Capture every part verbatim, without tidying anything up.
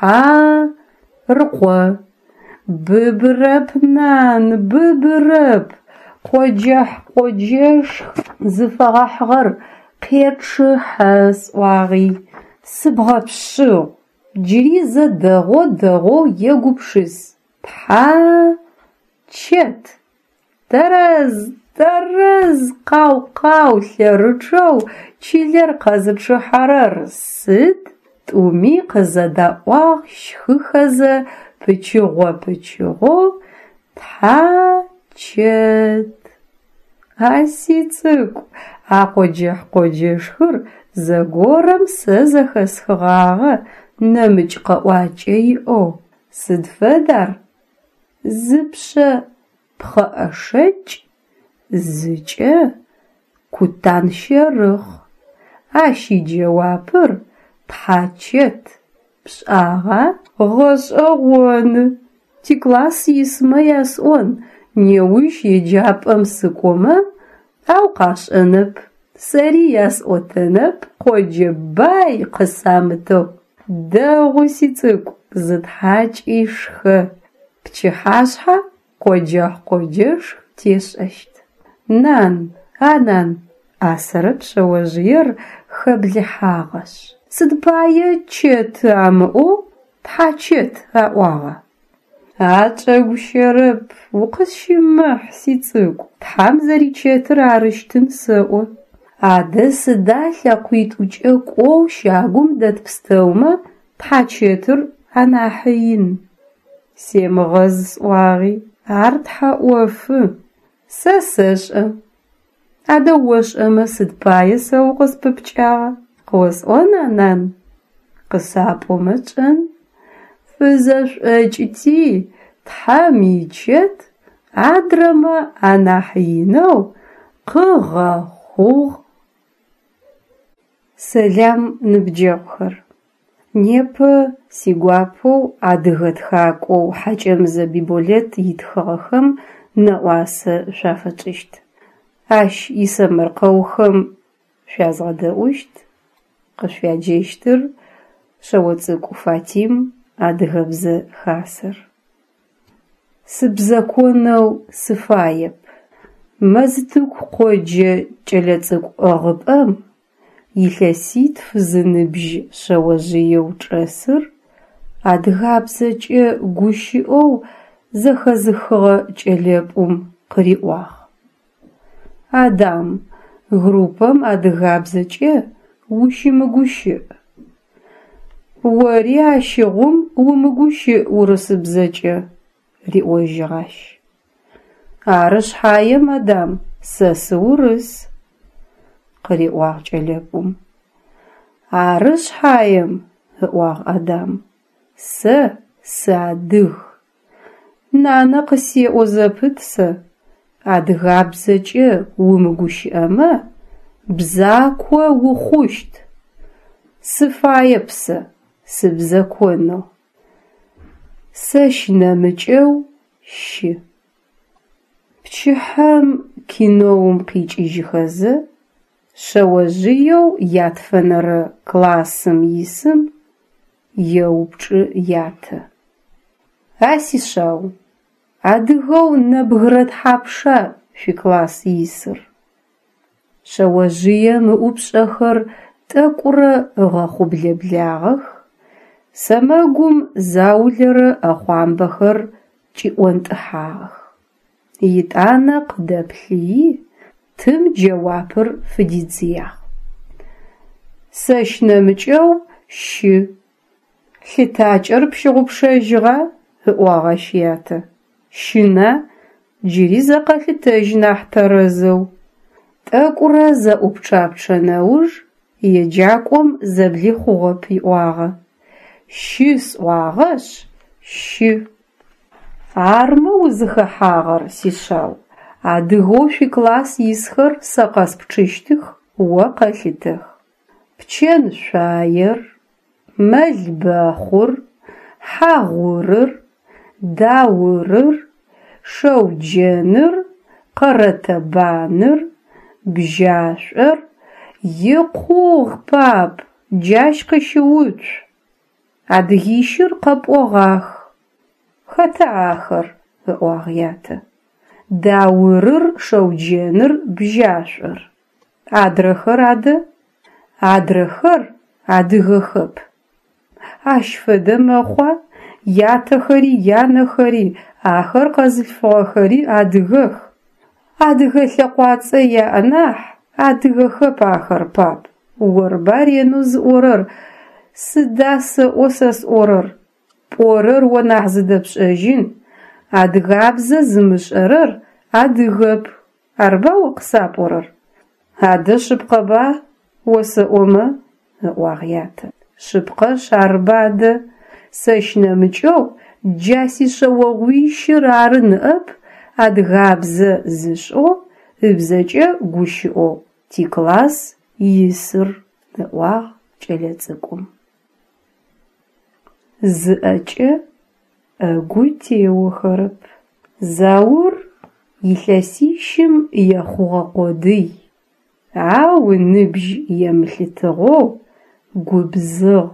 Тхьа-рыкъо. Быбырэп, нан, быбырэп! Къоджэхь-къоджэшх зыфэгъэхьыгъэр къечъыхьэ сӏуагъи, сыбгъэпшъыгъ. Джыри зэ дэгъоу-дэгъоу егупшыс: тхьа-чэт. Тэрэз, тэрэз! Къау-къау лъэрычъэу чылэр къэзычъыхьэрэр сыд? Тӏуми къызэдаӏуагъ щхыхэзэ пычыгъо-пычыгъоу: Тхьа-чэт. А сицӏыкӏу, а къоджэхь-къоджэшхыр зэгорэм сэ зэхэсхыгъагъэ нэмыкӏ къэӏуакӏэ иӏэу. Сыд фэд ар? Зыпшъэ пхъэӏэшэкӏ, зыкӏэ къутан щэрыхъ. Ащ иджэуапыр тхьачэт, пшӏагъа? Гъэшӏэгъоны! Тикласс исмэ ясӏон неущ еджапӏэм сыкӏомэ, ау къашӏэнэп, сэри ясӏотэнэп къоджэ бай къысамытэу. Дэгъу, сицӏыкӏу, зытхьакӏи шхэ, пчыхьашъхьэ къоджэхь-къоджэшх тешӏэщт. Нан, а нан, ӏасэрэп шъэожъыер хэблыхьагъэшъ, сыд пае чэты амыӏоу тхьачэт аӏуагъа? А чӏэгущэрэп, укъысщымыхь, сицӏыкӏу, тхьам зэричэтыр арыщтын сэӏо. Адэ сыда лъэкъуитӏукӏэ кӏоу щагум дэт пстэумэ тхьачэтыр анахьы ин? Семыгъэз сӏуагъи, ар тхьэ ӏофы. Сэ сэшӏэ. Адэ ошӏэмэ сыд пае сэ укъыспыпкӏагъа? Къыосӏона, нан? Къысапӏомэ тшӏэн. Фызэшӏокӏыти, тхьэм ичэт адрэмэ анахь инэу къыгъэхъугъ. Сэлам, ныбджэгъухэр! Непэ сигуапэу адыгэ тхакӏоу Хьакӏэмызэ Биболэт итхыгъэхэм нэӏуасэ шъуафэтшӏыщт. Ащ исэмэркъэухэм шъуязгъэдэӏущт, къышъуяджэщтыр Шъэоцӏыкӏу Фатим, Адыгэбзэ Хасэр. Сыбзэконэу сыфаеп. Мэзтыку къоджэ кӏэлэцӏыкӏу ӏыгъыпӏэм илъэситф зыныбжь шъэожъыеу чӏэсыр адыгабзэкӏэ гущыӏэу зэхэзыхыгъэ кӏэлэпӏум къыриӏуагъ: «Адам, группэм адыгабзэкӏэ ущымыгущыӏ. Ори ащыгъум умыгущыӏ урысыбзэкӏэ», - риӏожьыгъ ащ. «Ары шъхьаем, Адам, сэ сыурыс», - къыриӏуагъ кӏэлэпӏум. «Ары шъхьаем, - ыӏуагъ Адам, - сэ сыадыг. Нанэ къысеӏо зэпыт сэ: адыгабзэкӏэ умыгущыӏэмэ бзако ухъущт. Сыфаеп сэ сыбзэконэу. Сэщ нэмыкӏэу щы. Пчыхьэм киноум къикӏыжьыхэзэ шъэожъыеу ятфэнэрэ классым исым еупчӏы ятэ: «А сишъау, адыгэу нэбгырэ тхьапша шъуикласс исыр?» Шъэожъыем ыӏупшӏэхэр тӏэкӏурэ ыгъэхъублэблагъэх, сэмэгум заулэрэ ӏэхъуамбэхэр кӏиӏонтӏыхьагъэх. Етӏанэ къыдэплъыйи, тым джэуапыр фыдидзыягъ: «Сэщ нэмыкӏэу щы». «Лъытакӏэр пщыгъупшэжьыгъа?» - ыӏуагъ ащ ятэ. «Щына? Джыри зэ къэлъытэжь нахь тэрэзэу». Тӏэкӏурэ зэӏупчъапчъэ нэуж еджакӏом зэблихъугъэп иӏуагъэ: «Щы сӏуагъэшъ, щы». Армэ узыхэхьагъэр, сишъау, адыгэу шъуикласс исхэр сэ къэспчъыщтых, о къэлъытэх: пчэн шъуаер, мэлбэхъур, Хьагъурыр, Даурыр, Шэуджэныр, Къэрэтэбаныр, Бжьашӏор. Икъугъ, пап, джащ къыщыуцу! Адыгищыр къэпӏогъах. Хэта ахэр? – ыӏуагъ ятэ. Даурыр, Шэуджэныр, Бжьашӏор. Адрэхэр адэ? Адрэхэр адыгэхэп. Ащ фэдэ мэхъуа, ятэхэри, янэхэри, ахэр къэзылъфыгъэхэри адыгэх. Адыгэ лъэкъуацӏэ яӏ нахь, адыгэхэп ахэр, пап, орба ренэу зыӏорэр, сыда сэӏо сэ сӏорэр? Пӏорэр о нахь зыдэпшӏэжьын, адыгабзэ зымышӏэрэр адыгэп, арба о къысапӏорэр? Адэ шъыпкъэба осэӏомэ, ыӏуагъ ятэ. Шъыпкъэшъ арба адэ, сэщ нэмыкӏэу джа сишъэогъуищыр ары ныӏэп адыгабзэ зышӏэу, ыбзэкӏэ гущыӏэу тикласс исыр, ыӏуагъ кӏэлэцӏыкӏум. Зы ӏэкӏэ ӏэгу теохэрэп. Заур илъэсищым ехъугъэ къодый, ау ыныбжь емылъытыгъэу губзыгъ.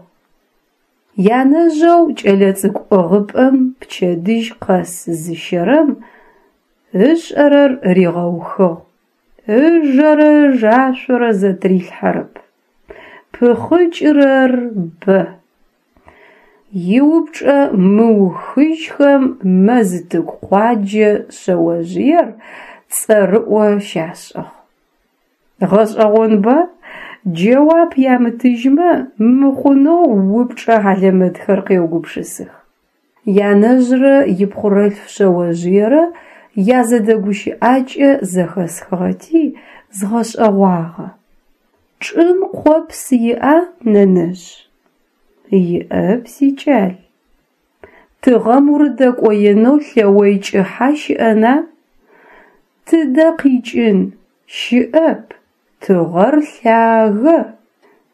Янэжъэу кӏэлэцӏыкӏу ӏыгъыпӏэм пчэдыжь къэс зыщэрэм ышӏэрэр ригъэухыгъ, ыжэрэ ыжашъорэ зэтырилъхьэрэп. Пыхъыкӏырэр бэ. Иупчӏэ мыухыжьхэм Мэзтыку къуаджэ шъэожъыер цӏэрыӏо щашӏыгъ. Гъэшӏэгъонба, джэуап ямытыжьмэ мыхъунэу упчӏэ хьалэмэтхэр къеугупшысых. Янэжърэ ипхъорэлъф шъэожъыерэ язэдэгущыӏакӏэ зэхэсхыгъэти згъэшӏэгъуагъэ. Чӏым къопс иӏа, нэнэжъ? Иӏэп, сикӏал. Тыгъэм урыдэкӏоенэу лъэой кӏыхьа щыӏэна? Тыдэ къикӏын, щыӏэп, тыгъэр лъагэ.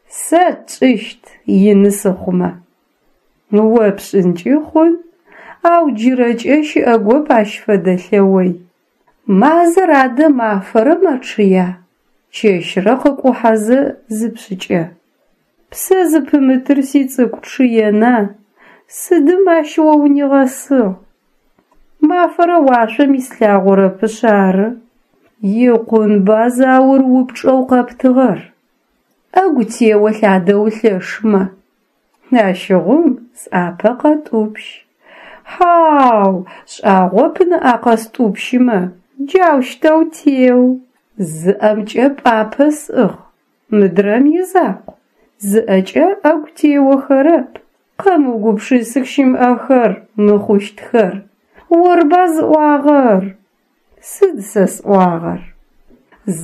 Сэ тшӏыщт, ины сыхъумэ. О пшӏынкӏи хъун, ау джырэкӏэ щыӏэгоп ащ фэдэ лъэой. Мазэр адэ мафэрэ мэчъыя, чэщрэ къыкӏухьэзэ зыпшӏыкӏэ? Псэ зыпымытыр, сицӏыкӏу, чъыена, сыдым ащ о унигъэсыгъ? Мафэрэ уашъом ислъагъорэпышъ ары. Икъунба, Заур, упчӏэу къэптыгъэр. Ӏэгу теолъ адэ улъэшмэ. Ащыгъум сӏапэ къэтӏупщ. Хьау, шӏагъоп ныӏа къэстӏупщымэ, джаущтэу теу. Зы ӏэмкӏэ пӏапэ сӏыгъ, мыдрэм изакъу. Зы ӏэкӏэ ӏэгу теохэрэп. Къэмыугупшысых щымыӏэхэр, мыхъущтхэр. Орба зыӏуагъэр? Сыд сэ сӏуагъэр?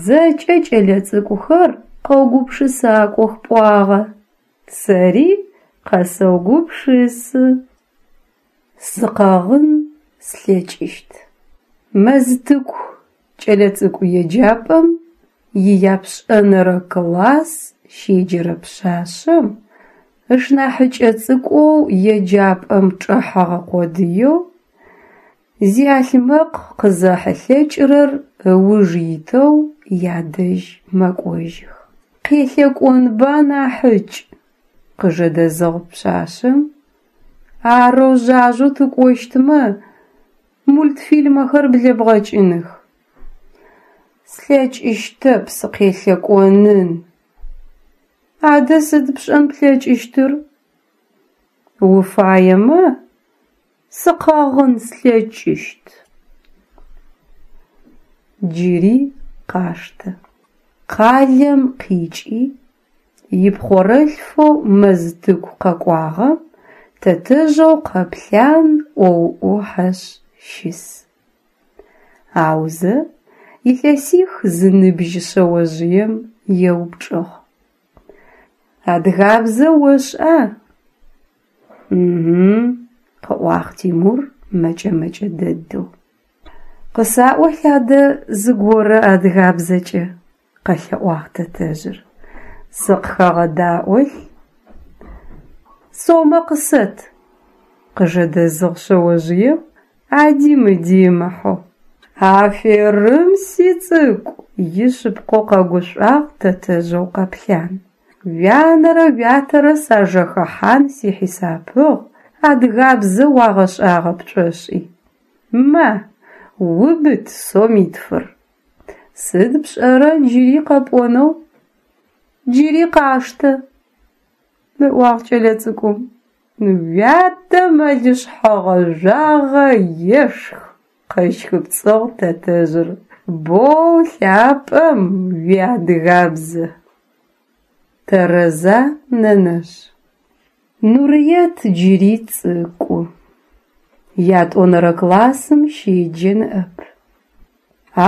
Зэкӏэ кӏэлэцӏыкӏухэр къэугупшысакӏох пӏуагъэ. Сэри къэсэугупшысы. Сыкъэгъын слъэкӏыщт. Мэзтыку кӏэлэцӏыкӏу еджапӏэм ияпшӏэнэрэ класс щеджэрэ пшъашъэм ышнахьыкӏэ цӏыкӏоу еджапӏэм чӏэхьэгъэ къодыеу, зиалъмэкъ къызэхьылъэкӏырэр ыуж итэу ядэжь мэкӏожьых. «Къелъэкӏонба, нахьыкӏ», – къыжэдэзыгъ пшъашъэм, «арэу жъажъэу тыкӏощтмэ, мультфильмэхэр блэбгъэкӏыных». Слъэкӏыщтэп сыкъелъэкӏонын! Адэ сыд пшӏэн плъэкӏыщтыр? Уфаемэ, сыкъэгъын слъэкӏыщт. Джыри къаштэ. Къалэм къикӏи ипхъорэлъфэу Мэзтыку къэкӏуагъэм тэтэжъэу Къэплъан ӏоу ӏохьэшъ щыс. Аузэ илъэсих зыныбжь шъэожъыем еупчӏыгъ: «Адыгабзэ ошӏа?» «Угу», – къыӏуагъ Тимур мэкӏэ-мэкӏэ дэдэу. «Къысаӏолъ адэ зыгорэ адыгабзэкӏэ», – къэлъэӏуагъ тэтэжъыр. «Сыкъыхэгъэдаӏолъ». «Сомэ къысэт», – къыжэдэзыгъ шъэожъыем ади-мыди ымыхьэу. «Аферым, сицӏыкӏу!» – ишъыпкъэу къэгушӏуагъ тэтэжъэу Къэплъан. Уянэрэ уятэрэ сажэхэхьан сихьисапыгъ, адыгабзэ уагъэшӏагъэп пшӏошӏи. Ма, убыт сомитфыр. Сыд пшӏэрэ джыри къэпӏонэу? Джыри къаштэ, ыӏуагъ кӏэлэцӏыкӏум. Уятэ мэлышъхьэ гъэжъуагъэ ешх, къэщхыпцӏыгъ тэтэжъыр. Боу лъапӏэм уиадыгабзэ. Тэрэза, нэнэжъ? Нурыет джыри цӏыкӏу, ятӏонэрэ классым щеджэ ныӏэп.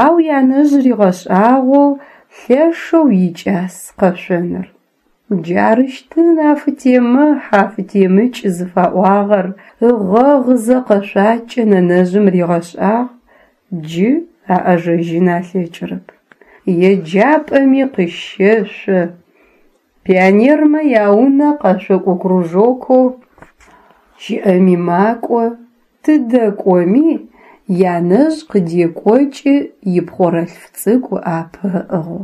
Ау янэжъ ригъэшӏагъоу лъэшэу икӏас къэшъоныр. Джарыщтын афытемыхь, афытемыкӏ зыфаӏуагъэр, ыгъэгъызэ къэшъуакӏэ нэнэжъым ригъэшӏагъ, джы аӏэжэжьын алъэкӏырэп. Еджапӏэми къыщэшъо, пионермэ яунэ къэшъокӏо кружокэу щыӏэми макӏо, тыдэ кӏоми янэжъ къыдекӏокӏы ипхъорэлъф цӏыкӏу ыӏапэ ыӏыгъэу.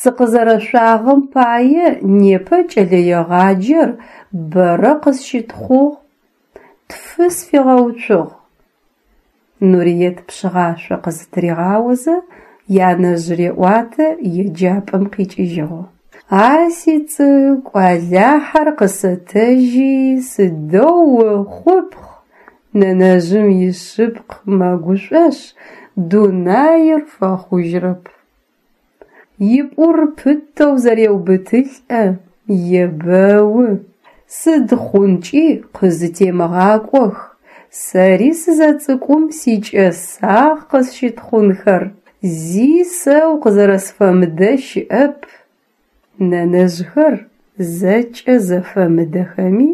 Сыкъызэрэшъуагъэм пае непэ кӏэлэегъаджэр бэрэ къысщытхъугъ, тфы сфигъэуцугъ. Нуриет пшъыгъашъо къызытыригъаозэ янэжъ реӏуатэ еджапӏэм къикӏыжьыгъэу. А сицӏыкӏу, Алахьэр къысэтэжьи, сыдэу ухъупхъ! Нэнэжъым ишъыпкъ, мэгушӏошъ, дунаир фэхъужьырэп. Ипӏур пытэу зэреубытылӏэ, ебэу: «Сыд хъункӏи къызытемыгъакӏох, сэри сызэцӏыкӏум сикӏэсагъ къысщытхъунхэр, зи сэ укъызэрэсфэмыдэ щыӏэп». Нэнэжъхэр зэкӏэ зэфэмыдэхэми,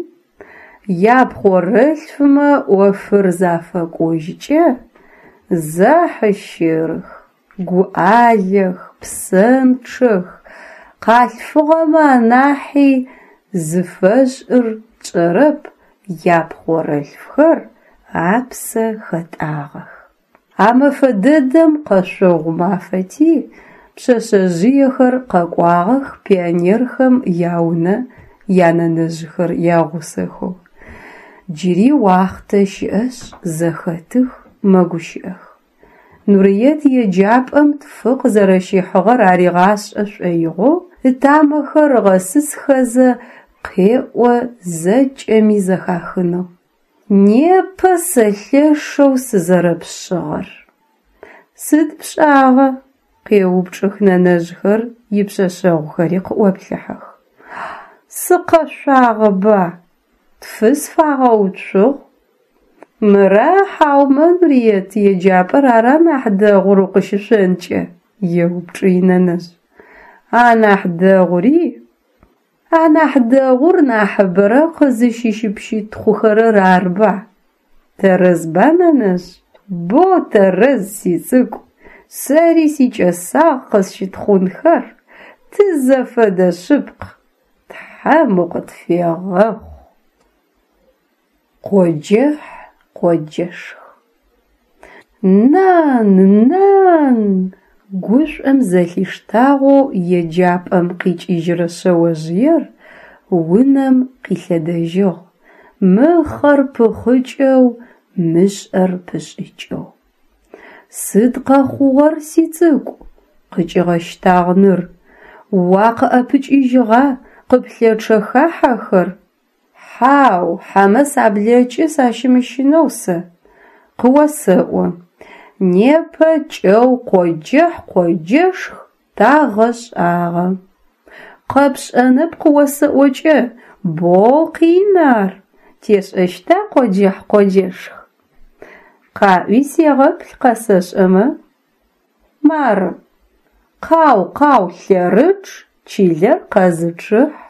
япхъорэлъфмэ ӏофыр зафэкӏожькӏэ, зэхьыщырых, гуӏалэх, псэнчъэх, къалъфыгъэмэ анахьи, зыфэшӏыр тшӏэрэп, япхъорэлъфхэр апсэ хэтӏагъэх. А мэфэ дэдэм къэшъогъу мафэти, пшъэшъэжъыехэр къэкӏуагъэх пионерхэм яунэ янэнэжъхэр ягъусэхэу. Джыри уахътэ щыӏэшъ, зэхэтых, мэгущыӏэх. Нурыет еджапӏэм тфы къызэрэщихьыгъэр аригъашӏэ шӏоигъоу ытамэхэр ыгъэсысхэзэ къеӏо зэкӏэми зэхахынэу: «Непэ сэ лъэшэу сызэрэпшъыгъэр». «Сыд пшӏагъэ?» къеупчӏых нэнэжъхэр, ипшъэшъэгъухэри къыӏоплъыхьэх. «Сыкъэшъуагъэба, тфы сфагъэуцугъ». «Мыра хьаумэ Нурыет еджапӏэр ара нахь дэгъур укъыщышъонкӏэ?» еупчӏы инэнэжъ. «Анахь дэгъури? Анахь дэгъур нахьыбэрэ къызыщыпщытхъухэрэр арба? Тэрэзба, нэнэжъ?» «Бо тэрэз, сицӏыкӏу, сэри сикӏэсагъ къысщытхъунхэр, тызэфэдэ шъыпкъ, Тхьэм укъытфегъэхъу». Къоджэхь къоджэшх. Нан, нан! Гушӏом зэлъиштагъэу еджапӏэм къикӏыжьырэ шъэожъыер унэм къилъэдэжьыгъ, мыхъэр пыхъыкӏэу, мышӏэр пышӏыкӏэу. Сыд къэхъугъэр, сицӏыкӏу? Къыкӏигъэщтагъ ныр. Уакъыӏэпыкӏыжьыгъа, къыплъэчъэха хьэхэр? Хьау, хьэмэ саблэкӏы сащымыщынэу сэ. Къыосэӏо, непэ кӏэу къоджэхь къоджэшх тагъэшӏагъэ. Къэпшӏэнэп къыосэӏокӏэ, боу къин ар. Тешӏэщта къоджэхь къоджэшх? Къаӏуи сегъэплъ къэсэшӏэмэ. Мары: къау-къау лъэрычъ, чылэр къэзычъыхь.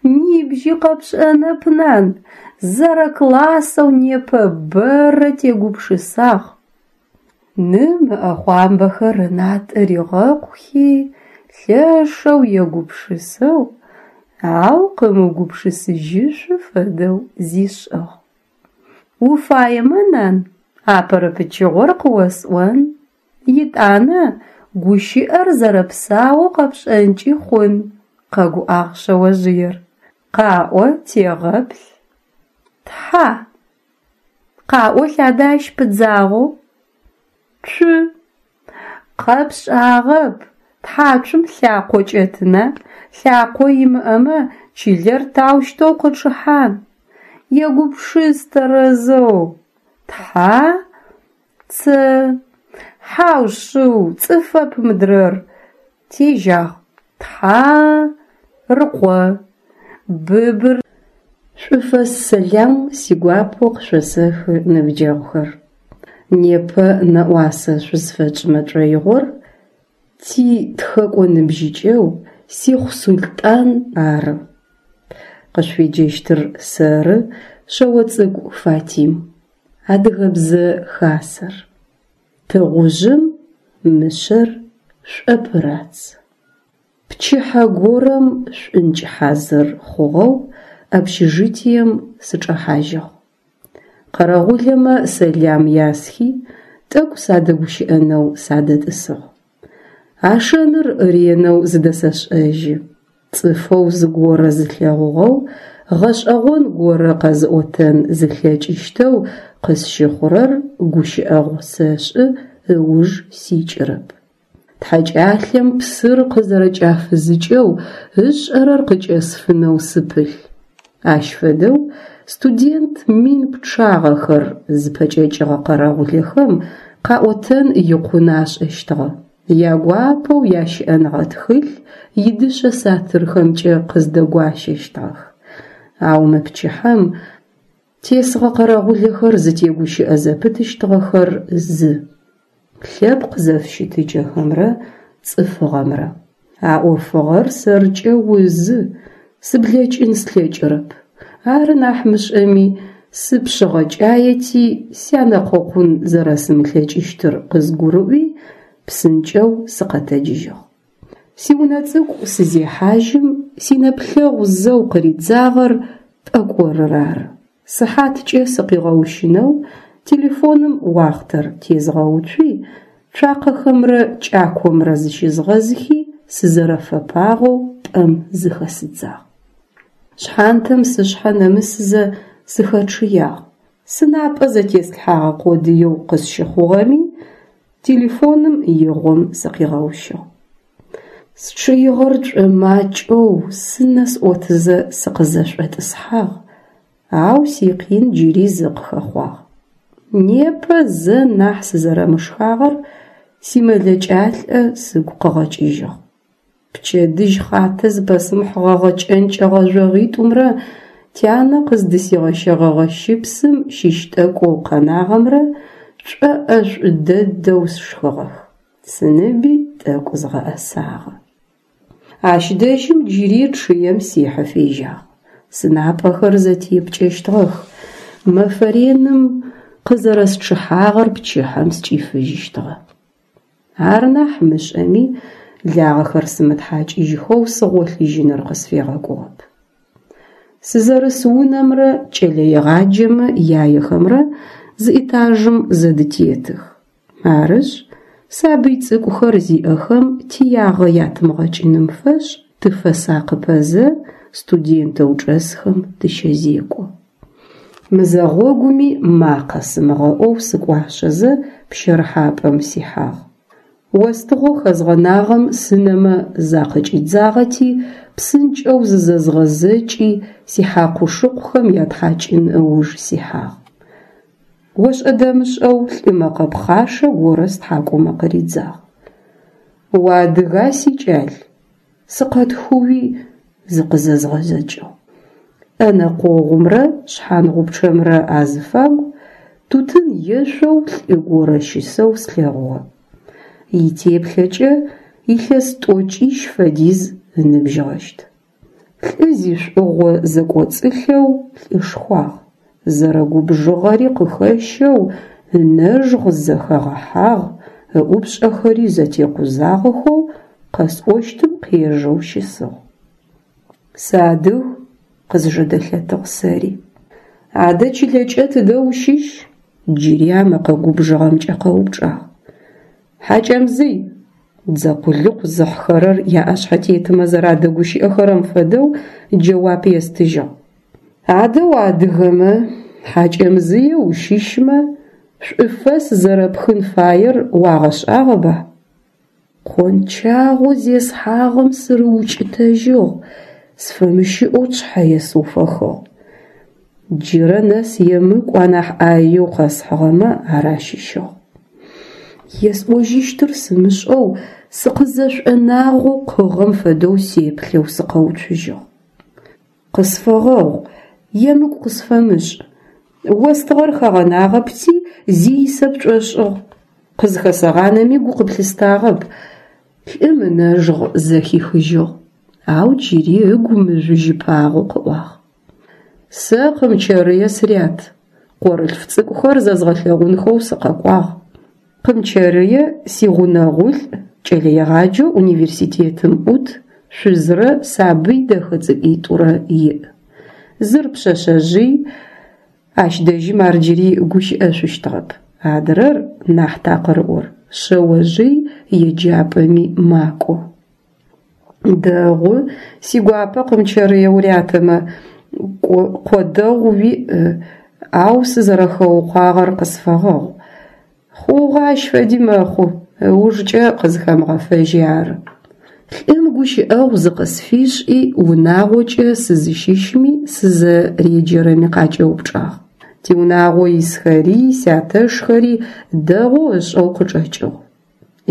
Нибжьи къэпшӏэнэп, нан, зэрэклассэу непэ бэрэ тегупшысагъ. Ным ыӏэхъуамбэхэр ынатӏэ ригъэкъухи, лъэшэу егупшысэу, ау къымыугупшысыжьышъу фэдэу зишӏыгъ. Уфаемэ, нан, апэрэ пычыгъор къыосӏон, етӏанэ гущыӏэр зэрэпсаоу къэпшӏэнкӏи хъун, къэгуӏагъ шъэожъыер. Къаӏо, тегъэплъ. Тхьа. Къаӏолъ адэ ащ пыдзагъэу. Цу. Къэпшӏагъэп, тхьацум лъакъо кӏэтына, лъакъо имыӏэмэ чылэр таущтэу къычъыхьан? Егупшыс тэрэзэу. Тхьа ц. Хьау шъыу, цӏыфэп мыдрэр. Тежьагъ. Тхьа рыкъо. Быбыр. Шӏуфэс сэлам сигуапэу къышъосэхы, ныбджэгъухэр. Непэ нэӏуасэ шъузфэтшӏымэ тшӏоигъор титхэкӏо ныбжьыкӏэу Сихъу Султӏан ары. Къышъуфеджэщтыр сэры, Шъэоцӏыкӏу Фатим. Адыгэбзэ хасэр. Тыгъужъым мышъэр шӏопырац. Пчыхьэ горэм шӏункӏ хьазыр хъугъэу общежитием сычӏэхьажьыгъ. Къэрэгъулэмэ сэлам ясхи, тӏэкӏу садэгущыӏэнэу садэтӏысыгъ. А шэныр ренэу зыдэсэшӏэжьы: цӏыфэу зыгорэ зылъэгъугъэу, гъэшӏэгъон горэ къэзыӏотэн зылъэкӏыщтэу къысщыхъурэр гущыӏэгъу сэшӏы, ыуж сикӏырэп. Тхьакӏалъэм псыр къызэрэкӏафызыкӏэу ышӏэрэр къыкӏэсфынэу сыпылъ. Ащ фэдэу студент мин пчъагъэхэр зыпэкӏэкӏыгъэ къэрэгъулэхэм къаӏотэн икъун ашӏэщтыгъэ, ягуапэу ящыӏэныгъэ тхылъ идышъэ сатырхэмкӏэ къыздэгуащэщтыгъэх. Ау мы пчыхьэм тесыгъэ къэрэгъулэхэр зытегущыӏэ зэпытыщтыгъэхэр зы: лъэпкъ зэфыщытыкӏэхэмрэ цӏыфыгъэмрэ. А ӏофыгъор сэркӏэ узы, сыблэкӏын слъэкӏырэп. Ары нахь мышӏэми, сыпшъыгъэкӏаети, сянэкъокъун зэрэсымылъэкӏыщтыр къызгурыӏуи, псынкӏэу сыкъэтэджыжьыгъ. Сиунэ цӏыкӏу сызехьажьым, синэплъэгъу зэу къыридзагъэр пӏэкӏорыр ары. Сыхьаткӏэ сыкъигъэущынэу телефоным уахътэр тезгъэуцуи, цуакъэхэмрэ кӏакомрэ зыщызгъэзыхи, сызэрэфэпагъэу пӏэм зыхэсыдзагъ. Шъхьантэм сышъхьэ нэмысызэ сыхэчъыягъ, сынапӏэ зэтеслъхьэгъэ къодыеу къысщыхъугъэми, телефоным игъом сыкъигъэущыгъ. Счъыигъэр шӏомакӏэу сынэ сӏотызэ сыкъызэшӏотӏысхьагъ, ау сикъин джыри зы къыхэхъуагъ. Непэ зэ нахь сызэрэмышхагъэр симэлэкӏалӏэ сыгу къыгъэкӏыжьыгъ. Пчэдыжь хъатэ зыпэсымыхьыгъэгъэ кӏэнкӏэ гъэжъогъитӏумрэ тянэ къыздысигъэщэгъэгъэ щыпсым щыщ тӏэкӏоу къэнагъэмрэ шӏоӏэшӏу дэдэу сшхыгъэх, сыныби тӏэкӏу згъэӏэсагъэ. Ащ дэжьым джыри чъыем сихьэ фежьагъ. Сынапӏэхэр зэтепкӏэщтыгъэх, мэфэ реным къызэрэсчъыхьагъэр пчыхьэм скӏифыжьыщтыгъэ. Ар нахь мышӏэми, лагъэхэр сымытхьакӏыжьхэу сыгъолъыжьыныр къысфегъэкӏугъэп. Сызэрыс унэмрэ кӏэлэегъаджэмэ яехэмрэ зы этажым зэдытетых. Арышъ, сабый цӏыкӏухэр зиӏэхэм тиягъэ ятымыгъэкӏыным фэшӏ тыфэсакъыпэзэ студентэу чӏэсхэм тыщэзекӏо. Мызэгъогуми макъэ сымыгъэӏоу сыкӏуашъэзэ пщэрыхьапӏэм сихьагъ. Остыгъэу хэзгъэнагъэм сынэмэ закъыкӏидзагъэти, псынкӏэу зызэзгъэзэкӏи сихьакъу-шыкъухэм ятхьакӏын ыуж сихьагъ. Ошӏэ-дэмышӏэу лӏы мэкъэ пхъашэ горэ стхьакӏумэ къыридзагъ: «Уадыга, сикӏал?» Сыкъэтхыуи зыкъызэзгъэзэкӏыгъ. Ӏэнэ къогъумрэ шъхьангъупчъэмрэ азыфагу тутын ешъоу лӏы горэ щысэу слъэгъугъэ. Итеплъэкӏэ илъэс тӏокӏищ фэдиз ыныбжьыгъэщт. Лӏы зишӏугъо зэкӏоцӏылъэу лӏышхуагъ, зэрэгубжыгъэри къыхэщэу ынэжгъ зэхэгъэхьагъ, ыӏупшӏэхэри зэтекъузагъэхэу къэсӏощтым къежэу щысыгъ. «Сыадыг», къызжэдэлъэтыгъ сэри. «Адэ чылэкӏэ тыдэ ущыщ?» Джыри а мэкъэ губжыгъэмкӏэ къэупчӏагъ. «Хьакӏэмзый», Дзэ къулыкъу зыхьхэрэр яӏэшъхьэтетмэ зэрадэгущыӏэхэрэм фэдэу джэуап естыжьыгъ. Адэ уадыгэмэ, Хьакӏэмзые ущыщмэ, шӏуфэс зэрэпхын фаер уагъэшӏагъэба? Къончагъэу зесхьагъэм сырыукӏытэжьыгъ, сфэмыщыӏэу сшъхьэ есыуфэхыгъ. Джырэ нэс емыкӏу анахь ӏаеу къэсхьыгъэмэ ар ащыщыгъ. Есӏожьыщтыр сымышӏэу сыкъызэшӏонагъэу къыгъэм фэдэу сеплъэу сыкъэуцужьыгъ. Къысфэгъэгъу, емыкӏу къысфэмышӏ. Остыгъэр хэгъэнагъэпти, зи исэп пшӏошӏыгъ. Къызхэсэгъанэми гу къыплъыстагъэп. Лӏым ынэжгъ зэхихыжьыгъ, ау джыри ыгу мыжъужьыпагъэу къыӏуагъ. Сэ Къымчэрые сырят. Къорылъф цӏыкӏухэр зэзгъэлъэгъунхэу сыкъэкӏуагъ. Къымчэрые сигъунэгъулӏ, кӏэлэегъаджэу университетым ӏут, шъузрэ сабый дэхэ цӏыкӏуитӏурэ иӏ. Зыр пшъэшъэжъый, ащ дэжьым ар джыри гущыӏэшъущтыгъэп. Адрэр, нахь такъырыӏор, шъэожъый, еджапӏэми макӏо. Дэгъу, сигуапэ Къымчэрые урятэмэ, къо дэгъу уиӏ, ау сызэрэхэукъуагъэр къысфэгъэгъу. Хъугъэ, ащ фэди мэхъу, ыужкӏэ къызхэмыгъэфэжьи ары. Лӏым гущыӏэгъу зыкъысфишӏи, унагъокӏэ сызыщыщми сызэреджэрэми къакӏэупчӏагъ. Тиунагъо исхэри, сятэшхэри дэгъоу ышӏэу къычӏэкӏыгъ.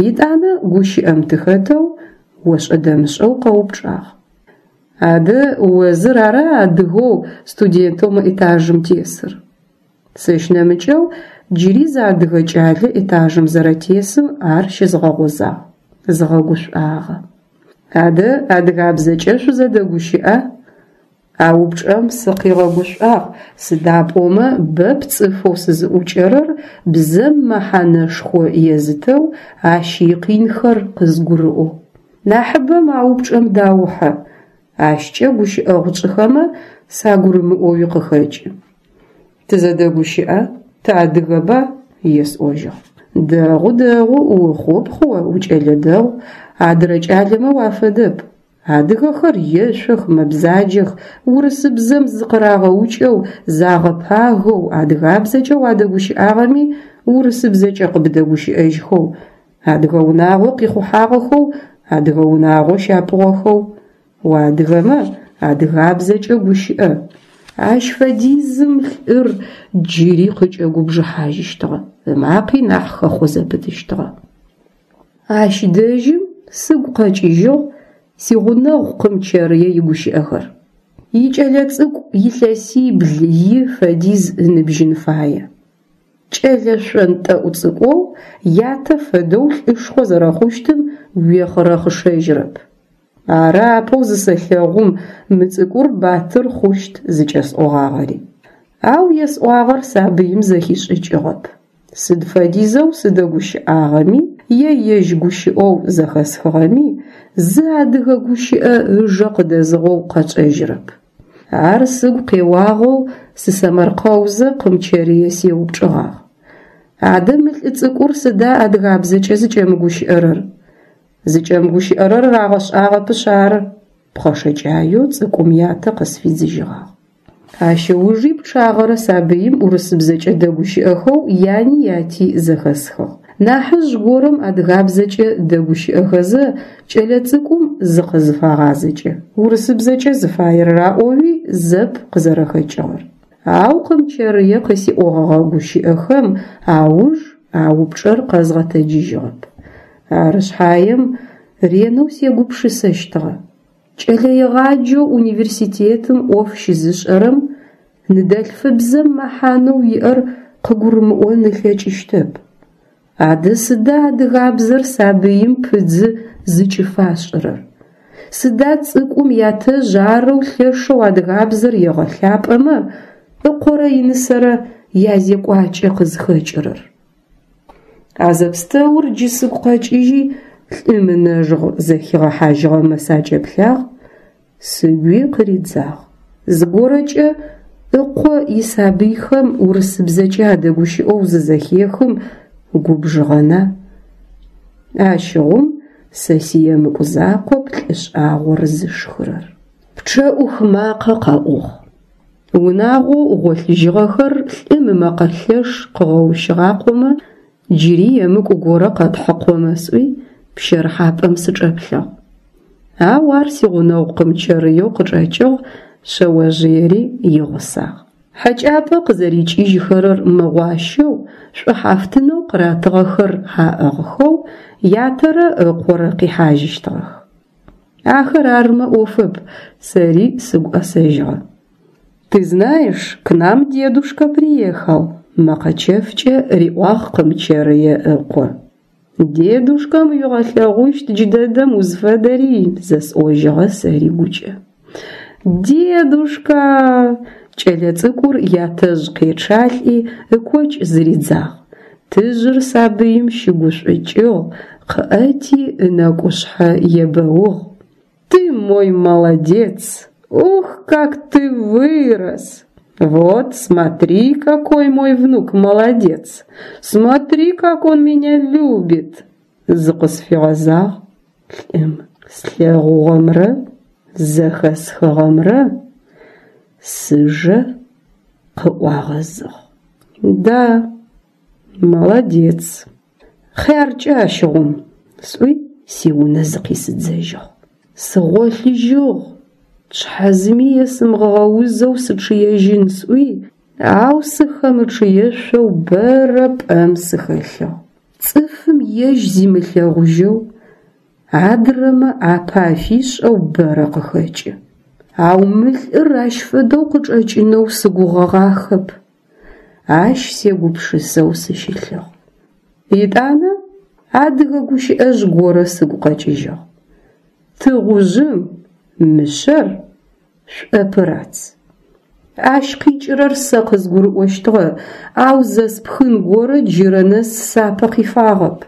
Етӏанэ гущыӏэм тыхэтэу ошӏэ-дэмышӏэу къэупчӏагъ. Адэ о зыр ара адыгэу студентэу мы этажым тесыр? Сэщ нэмыкӏэу джыри зы адыгэ кӏалэ этажым зэрэтесым ар щызгъэгъозагъ, згъэгушӏуагъэ. Адэ адыгабзэкӏэ шъузэдэгущыӏа? А упчӏэм сыкъигъэгушӏуагъ, сыда пӏомэ бэп цӏыфэу сызыӏукӏэрэр бзэм мэхьанэшхо езытэу, ащ икъинхэр къызгурыӏоу. Нахьыбэм а упчӏэм даухьэ, ащкӏэ гущыӏэгъу тшӏыхэмэ сагурымыӏоуи къыхэкӏы. Тызэдэгущыӏэ, тыадыгэба? Есӏожьыгъ. Дэгъу, дэгъу, ухъупхъ о, укӏэлэ дэгъу, адырэ кӏалэмэ уафэдэп. Адыгэхэр ешъох, мэбзаджэх, урысыбзэм зыкъырагъэукӏэу, загъэпагэу, адыгабзэкӏэ уадэгущыӏагъэми урысыбзэкӏэ къыбдэгущыӏэжьхэу, адыгэ унагъо къихъухьагъэхэу, адыгэ унагъо щапӏугъэхэу. Уадыгэмэ адыгабзэкӏэ гущыӏэ. Ащ фэдизым лӏыр джыри къыкӏэгубжыхьажьыщтыгъэ, ымакъи нахь хэхъо зэпытыщтыгъэ. Ащ дэжьым сыгу къэкӏыжьыгъ сигъунэгъу Къымчэрые игущыӏэхэр. Икӏэлэцӏыкӏу илъэсибл и фэдиз ыныбжьын фае. Кӏэлэ шъонтӏэӏу цӏыкӏоу ятэ фэдэу лӏышхо зэрэхъущтым уехъырэхъышэжьырэп. Ары апэу зысэлъэгъум мы цӏыкӏур батыр хъущт зыкӏэсӏогъагъэри. Ау есӏуагъэр сабыим зэхишӏыкӏыгъэп. Сыд фэдизэу сыдэгущыӏагъэми е ежь гущыӏэу зэхэсхыгъэми, зы адыгэ гущыӏэ ыжэ къыдэзыгъэу къэчӏэжьырэп. Ар сыгу къеуагъэу сысэмэркъэузэ Къымчэрые сеупчӏыгъагъ. Адэ мы лӏы цӏыкӏур сыда адыгабзэкӏэ зыкӏэмыгущыӏэрэр? Зыкӏэмыгущыӏэрэр рагъэшӏагъэпышъ ары, пхъэшэкӏаеу цӏыкӏум ятэ къысфидзыжьыгъагъ. Ащ ыужи пчъагъэрэ сабыим урысыбзэкӏэ дэгущыӏэхэу яни яти зэхэсхыгъ. Нахьыжъ горэм адыгабзэкӏэ дэгущыӏэхэзэ кӏэлэцӏыкӏум зыкъызыфагъазэкӏэ, урысыбзэкӏэ зыфаер раӏоуи зэп къызэрэхэкӏыгъэр. Ау Къымчэрые къысиӏогъэгъэ гущыӏэхэм ауж а упчӏэр къэзгъэтэджыжьыгъэп. Ары шъхьаем ренэу сегупшысэщтыгъэ. Кӏэлэегъаджэу университетым ӏоф щызышӏэрэм ныдэлъфыбзэм мэхьанэу иӏэр къыгурымыӏон ылъэкӏыщтэп. Адэ сыда адыгабзэр сабыим пыдзы зыкӏыфашӏырэр? Сыда цӏыкӏум ятэжъ арэу лъэшэу адыгабзэр егъэлъапӏэмэ, ыкъорэ инысэрэ язекӏуакӏэ къызхэкӏырэр? А зэпстэур джы сыгу къэкӏыжьи, лӏым ынэжгъ зэхигъэхьажьыгъэмэ сакӏэплъагъ, сыгуи къыридзагъ. Зыгорэкӏэ ыкъо исабыйхэм урысыбзэкӏэ адэгущыӏэу зызэхехым губжыгъэна? Ащыгъум Сэ сиемыкӏу закъоп лӏы шӏагъор зышхырэр. Пчъэӏух макъэ къэӏугъ. Унагъоу гъолъыжьыгъэхэр лӏым ымэкъэ лъэш къыгъэущыгъакъомэ, джыри емыкӏу горэ къэтхьыкъомэ сӏуи, пщэрыхьапӏэм сычӏэплъыгъ. Ау ар сигъунэгъу Къымчэрыеу къычӏэкӏыгъ, шъэожъыери игъусагъ. Хьэкӏапӏэ къызэрикӏыжьхэрэр мыгъуащэу, шӏухьафтынэу къыратыгъэхэр аӏыгъхэу ятэрэ ыкъорэ къихьажьыщтыгъэх. Ахэр армэ ӏофэп, сэри сыгу ӏэсэжьыгъэ. Ты знаешь, к нам дедушка приехал, мэкъэ чэфкӏэ риӏуагъ Къымчэрые ыкъо. Дедушкэм уигъэлъэгъущт джыдэдэм узфэдэри, зэсӏожьыгъэ сэри гукӏэ. Дедушка! Кӏэлэцӏыкӏур ятэжъ къечъалӏи ыкокӏ зыридзагъ. Тыжъыр сабыим щыгушӏукӏыгъ, къыӏэти ынэкӏушъхьэ ебэугъ. Ты мой молодец! Ох, как ты вырос! Вот, смотри, какой мой внук молодец! Смотри, как он меня любит! Зыкъысфигъэзагъ лӏым. Слъэгъугъэмрэ зэхэсхыгъэмрэ сыжэ къыӏуагъэзыгъ. Да, молодец. Хъяркӏэ ащыгъум, сӏуи сиунэ зыкъисыдзэжьыгъ. Сыгъолъыжьыгъ, шъхьэ зыми есымыгъэузэу сычъыежьын сӏуи, ау сыхэмычъыешъоу бэрэ пӏэм сыхэлъыгъ. Цӏыфым ежь зимылъэгъужьэу, адрэмэ ӏапэ афишӏэу бэрэ къыхэкӏы. Ау мы лӏыр ащ фэдэу къычӏэкӏынэу сыгугъэгъахэп. Ащ сегупшысэу сыщылъыгъ. Етӏанэ адыгэ гущыӏэжъ горэ сыгу къэкӏыжьыгъ. Тыгъужъым мышъэр шӏопырац. Ащ къикӏырэр сэ къызгурыӏощтыгъэ, ау зэспхын горэ джырэ нэс сапэ къифагъэп.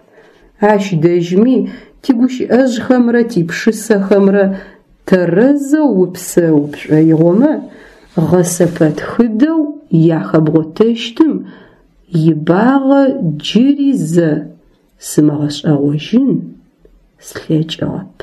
Ащ дэжьми тигущыӏэжъхэмрэ типшысэхэмрэ тэрэзэу упсэу пшӏоигъомэ, гъэсэпэтхыдэу яхэбгъотэщтым ибагъэ джыри зэ сымыгъэшӏэгъожьын слъэкӏыгъэп.